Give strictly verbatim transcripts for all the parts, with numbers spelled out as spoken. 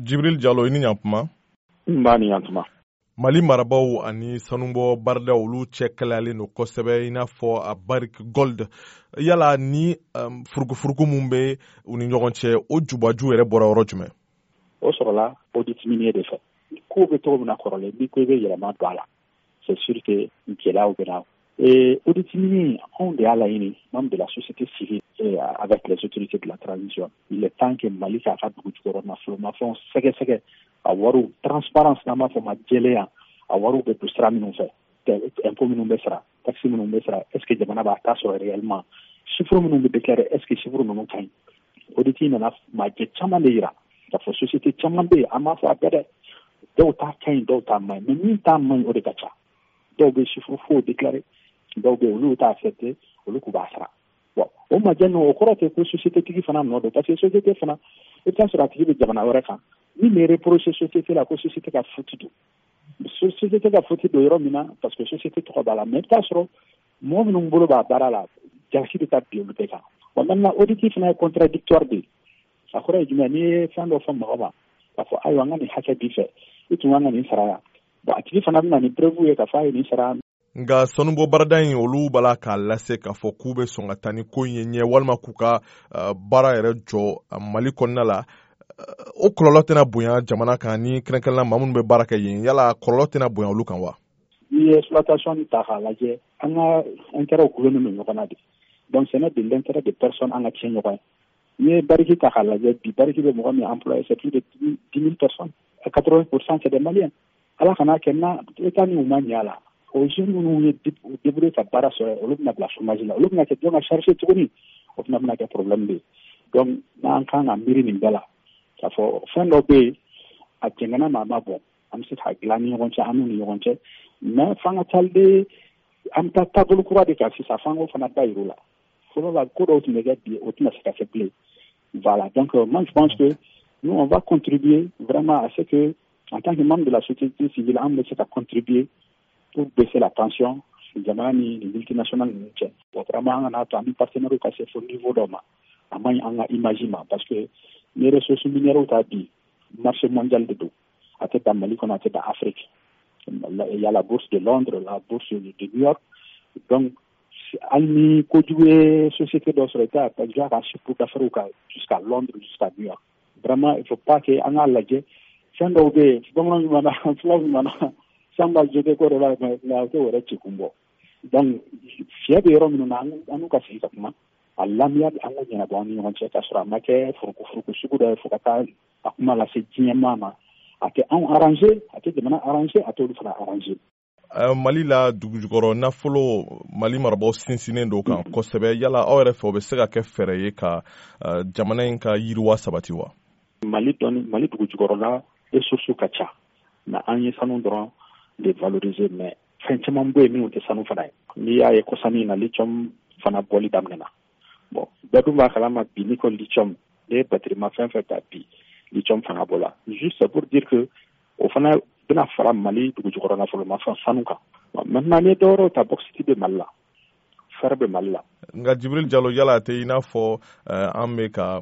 Jibril Jalo, i ni ɲantuma. N b'a ni ɲantuma. Mali marabaw ani sanubɔ baaradaw, olu cɛ kɛlɛyalen don kosɛbɛ, i n'a fɔ a Barrick Gold. Yala ni um, furukufuruku mun bɛ u ni ɲɔgɔn cɛ, o jubaju yɛrɛ bɔra yɔrɔ jumɛn? O sɔrɔla audit minier de fɛ. Kow bɛ cogo min na kɔrɔlen, n'i ko i bɛ yɛlɛma don a la, c'est sûr que gɛlɛyaw bɛ na. Et audit minier, anw de y'a laɲini, membre de la société civile et avec les autorités de la transition. Il est temps que Mali k'a ka dugu jukɔrɔ nafolomafɛnw sɛgɛsɛgɛ, a wariw transparence, n'an b'a fɔ ma jɛlenya, a wariw bɛ don sira minnu fɛ, impôt minnu bɛ sara, taxe minnu bɛ sara, est ce que jamana b'a ta sɔrɔ réellement? Chiffre minnu bɛ déclarer, est ce que chiffre ninnu ka ɲi? Audit nana majɛ caman de yira k'a fɔ société caman bɛ yen. An b'a fɔ a bɛɛ dɛ, dɔw ta ka ɲi, dɔw ta man ɲi, mais min ta man ɲi, o de ka ca. Dɔw bɛ chiffre faux déclarer, dɔw bɛ yen, olu t'a accepter, olu k'u b'a sara. Bon, o majɛ ninnu, o kɔrɔ tɛ ko société tigi fana nɔ don, parce que société fana, i bɛ taa sɔrɔ a tigi bɛ jamana wɛrɛ kan. Min bɛ reprocher société la ko société ka faute don, société ka faute don yɔrɔ min na, parce que société tɔgɔ b'a la, mais i bɛ taa sɔrɔ mɔgɔ minnu bolo b'a baara la, jalaki bɛ taa bin olu bɛɛ kan. Bon, maintenant, audit fana ye contradictoire de ye. A kɔrɔ ye jumɛn? N'i ye fɛn dɔ fɔ mɔgɔ ma k'a fɔ ayiwa, an ka nin hakɛ b'i fɛ, i tun kan ka nin sara yan, bon, a tigi fana bɛ na ni preuve ye k'a fɔ a ye nin sara. Nka sanubɔ baarada in, olu b'a la k'a lase k'a fɔ k'u bɛ sɔn ka taa ni ko in ye ɲɛ, walima k'u ka baara yɛrɛ jɔ Mali kɔnɔna la. O kɔlɔlɔ tɛna bonya jamana kan, ni kɛrɛnkɛrɛnnenya maa minnu bɛ baara kɛ yen? Yala kɔlɔlɔ tɛna bonya olu kan wa? N'i ye exploitation ta k'a lajɛ, an ka intérêt gulonnen don ɲɔgɔn na de. Donc ce n'est de l'intérêt de personne an ka tiɲɛ ɲɔgɔn ye. N'i ye Barrick ta k'a lajɛ bi, Barrick bɛ mɔgɔ min employé, c'est plus de dix mille personnes, quatre-vingts pour cent c'est des Maliens. Ala kana kɛ na État ni u ma ɲɛ a la, o jeunes minnu ye débrouiller ka baara sɔrɔ, olu bɛna bila chômage la, olu bɛna kɛ jɔn ka charge tuguni? O fana bɛna kɛ problème de ye. Donc n'an kan ka miiri nin bɛɛ la k'a fɔ fɛn dɔ bɛ yen, a jɛngɛnna ma, a ma bɔn, an bɛ se k'a dilan ni ɲɔgɔn cɛ, an n'u ni ɲɔgɔn cɛ, mais f'an ka taa de, an bɛ taa taabolo kura de kan sisan. F'an k'o fana da yir'u la. Fɔlɔ la, ko dɔw tun bɛ kɛ, bi o tɛna se ka kɛ bilen. Voilà, donc moi je pense que nous, on va contribuer vraiment à ce que, en tant que membre de la société civile, an bɛ se ka contribuer pour baisser la tension jamana ni ni multinationale ninnu cɛ. Bon, vraiment, an kana to an ni partenaires ka se fo niveau dɔ ma, a man ɲi an ka image ma, parce que ni ressources minières ta bi, marché mondial de don. A tɛ dan Mali kɔnɔ, a tɛ dan Afrique. Il y a la bourse de Londres, la bourse de New York. Donc hali ni kojugu ye société dɔ sɔrɔ, i t'a ka ka chiffre d'affaires kan jusqu'à Londres, jusqu'à New York. Vraiment, il faut pas que an k'a lajɛ fɛn dɔw bɛ yen, bamananw ɲuman, fulaw ɲuman, san b'a jeté ko dɔ la, nka o t'o yɛrɛ ci kun bɔ. Donc fiɲɛ bɛ yɔrɔ minnu na, an n'u ka sigi ka kuma a lamiya, an k'o ɲɛnabɔ an ni ɲɔgɔn cɛ, k'a sɔrɔ a ma kɛ furuku sugu dɔ ye fo ka taa a kuma lase diɲɛ ma. A tɛ anw arranger, a tɛ jamana arranger, a t'olu fana arranger. Mali la dugujukɔrɔ nafolo, Mali marabaaw sinsinnen don kan kosɛbɛ. Yala aw yɛrɛ fɛ, o bɛ se ka kɛ fɛɛrɛ ye ka jamana in ka yiriwa sabati wa? Mali dɔnni, Mali dugujukɔrɔla ressources ka ca, mais an ye sanu dɔrɔn de valoriser, mais fɛn caman bɛ yen minnu tɛ sanu fana ye. N'i y'a ye kɔsani na, lithium fana bɔli daminɛna. Bon, bɛɛ dun b'a kalama bi, n'i ko lithium, n'i ye batterie ma fɛn fɛn ta bi, lithium fanga b'o la. Juste pour dire que o fana bɛna fara Mali dugujukɔrɔ nafolomafɛn sanu kan. Maintenant, n'i ye dɔwɛrɛw ta, bauxite bɛ Mali la, fer bɛ Mali la. Nka Jibril Jalo, yala a tɛ i n'a fɔ an bɛ ka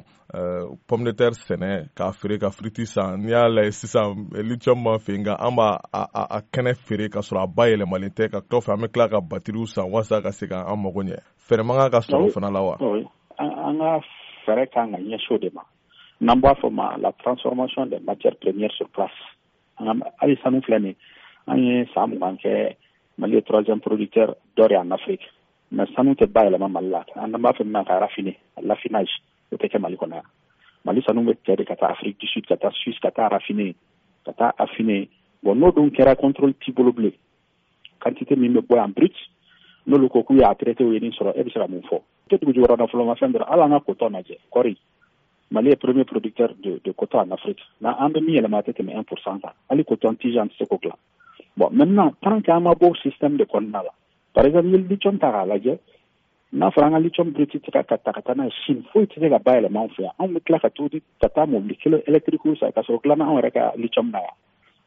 pomme de terre sɛnɛ k'a feere ka frites san? N'i y'a lajɛ sisan, lithium b'an fɛ yen, nka an b'a a kɛnɛ feere ka sɔrɔ a bayɛlɛmalen tɛ. Ka kɔfɛ, an bɛ tila ka batterie san walasa ka se k'an mago ɲɛ. Fɛɛrɛ man kan ka sɔrɔ o fana la wa? An ka fɛɛrɛ kan ka ɲɛsin o de ma, n'an b'a fɔ ma la transformation des matières premières sur place. An ka hali sanu filɛ nin, an ye san mugan kɛ, Mali ye troisième producteur d'or en Afrique, mais sanu tɛ bayɛlɛma Mali la. An b'a fɔ min ma ka raffiner, l'affinage, o tɛ kɛ Mali kɔnɔ yan. Mali sanu bɛ cɛ de ka taa Afrique du Sud, ka taa Suisse, ka taa raffiner, ka taa affiner. Bon, n'o dun kɛra, contrôle t'i bolo bilen. Quantité min bɛ bɔ yan brut, n'olu ko k'u y'a traité, u ye nin sɔrɔ, e bɛ se ka mun fɔ? Tɛ dugujukɔrɔ nafolomafɛn dɔrɔn, hali an ka coton lajɛ, kɔɔri. Mali est premier producteur de, de coton en Afrique. Mais an bɛ min yɛlɛma, a tɛ tɛmɛ un pour cent kan. Hali coton tige, an tɛ se k'o dilan. Bon, maintenant, tant qu'an ma bɔ système de kɔnɔna la, par exemple, n'i ye lithium ta k'a lajɛ, n'a fɔra an ka lithium brut tɛ ka ta ka taa n'a ye Chine, foyi tɛ se ka bayɛlɛma anw fɛ yan. Anw bɛ tila ka to ka taa mobili kilo électrique san ka sɔrɔ dilanna anw yɛrɛ ka lithium na yan.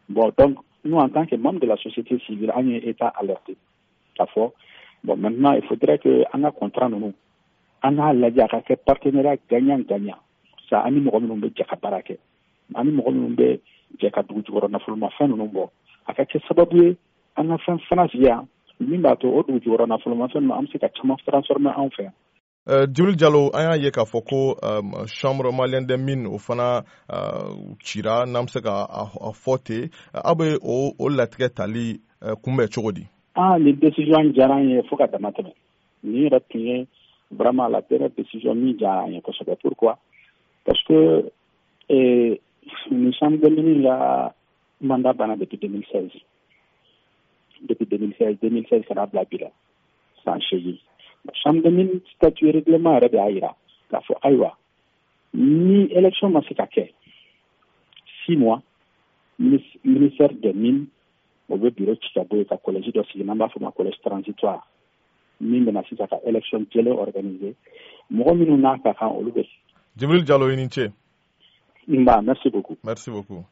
Bon, donc nous, en tant que membre de la société civile, an ye État alerté k'a fɔ bon, maintenant, il faudrait que an ka contrat ninnu, an k'a lajɛ a ka kɛ partenariat gagnant gagnant sa, an ni mɔgɔ minnu bɛ jɛ ka baara kɛ. Ani mɔgɔ minnu bɛ jɛ ka dugu jukɔrɔ nafolomafɛn ninnu bɔ, a ka kɛ sababu ye an ka fɛn fana sigi yan min b'a to o dugu jukɔrɔ nafolomafɛn ninnu, an bɛ se ka caman transformer anw fɛ yan. Uh, Djibril Diallo, an y'a ye k'a fɔ ko um, Chambre malienne des mines, o fana uh, cira, n'an bɛ se ka a fɔ ten. Aw bɛ o o latigɛ tali uh, kunbɛn cogo di? Ah, nin décision diyara an ye fo ka dama tɛmɛ. Nin yɛrɛ tun ye vraiment la dernière décision min diyara an ye kosɛbɛ. Pourquoi? Parce que eh, nin chambre des mines la mandat banna depuis deux mille seize, depuis deux mille seize, deux mille seize ka n'a bila bi la, san seegin. Chambre des mines statut, règlement yɛrɛ de y'a yira k'a fɔ ayiwa, ni élection ma se ka kɛ six mois, ministère des Mines o bɛ bureau ci ka bɔ yen ka collège dɔ sigi, n'an b'a fɔ o ma collège transitoire, min bɛna sisan ka élection jɛlen organiser, mɔgɔ minnu n'a ka kan, olu bɛ. Djibril Diallo, i ni ce. Nba, merci beaucoup. Merci beaucoup.